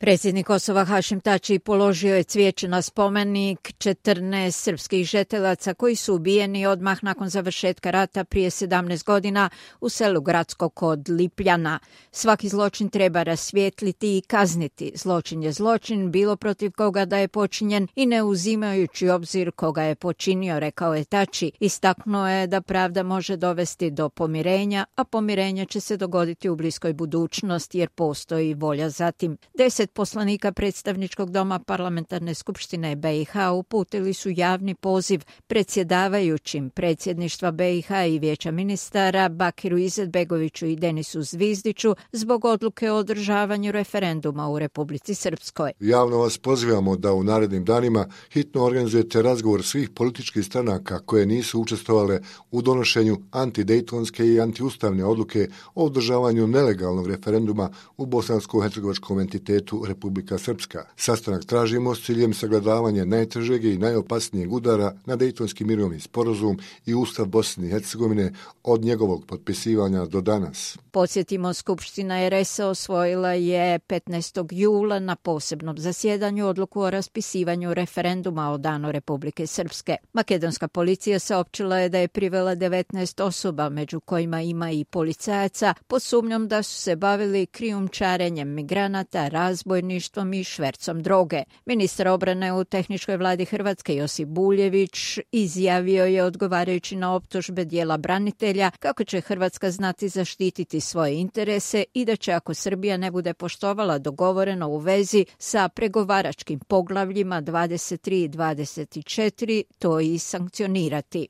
Predsjednik Kosova Hašim Tači položio je cvijeće na spomenik 14 srpskih žetelaca koji su ubijeni odmah nakon završetka rata prije 17 godina u selu Gradsko kod Lipljana. Svaki zločin treba rasvijetliti i kazniti. Zločin je zločin, bilo protiv koga da je počinjen i ne uzimajući obzir koga je počinio, rekao je Tači. Istaknuo je da pravda može dovesti do pomirenja, a pomirenje će se dogoditi u bliskoj budućnosti jer postoji volja za tim. 10 poslanika predstavničkog doma parlamentarne skupštine BiH uputili su javni poziv predsjedavajućim predsjedništva BiH i vijeća ministara Bakiru Izetbegoviću i Denisu Zvizdiću zbog odluke o održavanju referenduma u Republici Srpskoj. Javno vas pozivamo da u narednim danima hitno organizujete razgovor svih političkih stranaka koje nisu učestvovale u donošenju antidejtonske i antiustavne odluke o održavanju nelegalnog referenduma u bosansko-hercegovačkom entitetu Republika Srpska. Sastanak tražimo s ciljem sagledavanja najtežeg i najopasnijeg udara na Dejtonski mirovni sporazum i Ustav Bosne i Hercegovine od njegovog potpisivanja do danas. Podsjetimo, Skupština RS-a osvojila je 15. jula na posebnom zasjedanju odluku o raspisivanju referenduma o danu Republike Srpske. Makedonska policija saopćila je da je privela 19 osoba, među kojima ima i policajaca, pod sumnjom da su se bavili krijumčarenjem migranata, razbojništvom i švercom droge. Ministar obrane u tehničkoj vladi Hrvatske Josip Buljević izjavio je odgovarajući na optužbe dijela branitelja kako će Hrvatska znati zaštititi svoje interese i da će ako Srbija ne bude poštovala dogovoreno u vezi sa pregovaračkim poglavljima 23 i 24, to i sankcionirati.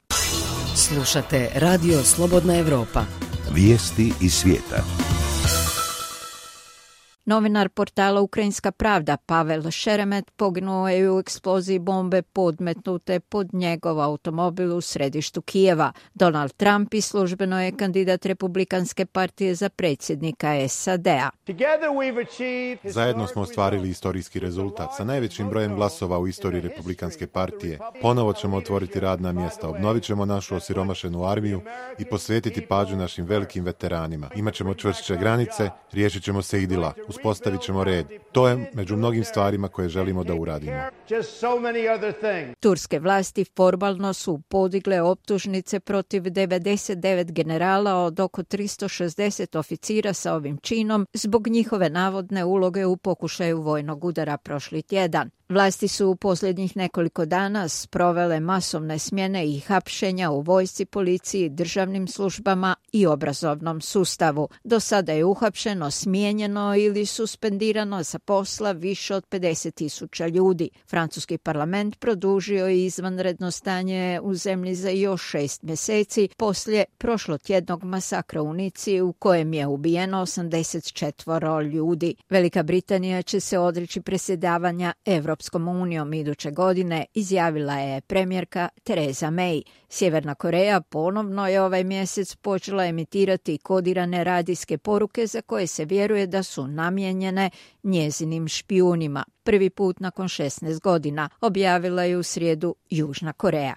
Slušate Radio Slobodna Evropa. Vijesti iz svijeta. Novinar portala Ukrajinska pravda Pavel Šeremet poginuo je u eksploziji bombe podmetnute pod njegov automobil u središtu Kijeva. Donald Trump i službeno je kandidat Republikanske partije za predsjednika SAD-a. Zajedno smo ostvarili istorijski rezultat sa najvećim brojem glasova u istoriji Republikanske partije. Ponovo ćemo otvoriti radna mjesta, obnovit ćemo našu osiromašenu armiju i posvetiti pažnju našim velikim veteranima. Imaćemo čvršće granice, riješit ćemo se idila. Uspostavit ćemo red. To je među mnogim stvarima koje želimo da uradimo. Turske vlasti formalno su podigle optužnice protiv 99 generala od oko 360 oficira sa ovim činom zbog njihove navodne uloge u pokušaju vojnog udara prošli tjedan. Vlasti su u posljednjih nekoliko dana sprovele masovne smjene i hapšenja u vojsci, policiji, državnim službama i obrazovnom sustavu. Do sada je uhapšeno, smijenjeno ili suspendirano sa posla više od 50.000 ljudi. Francuski parlament produžio je izvanredno stanje u zemlji za još 6 mjeseci poslije prošlotjednog masakra u Nici u kojem je ubijeno 84 ljudi. Velika Britanija će se odreći predsjedavanja Europskom unijom iduće godine, izjavila je premijerka Theresa May. Sjeverna Koreja ponovno je ovaj mjesec počela emitirati kodirane radijske poruke za koje se vjeruje da su namijenjene njezinim špijunima. Prvi put nakon 16 godina, objavila je u srijedu Južna Koreja.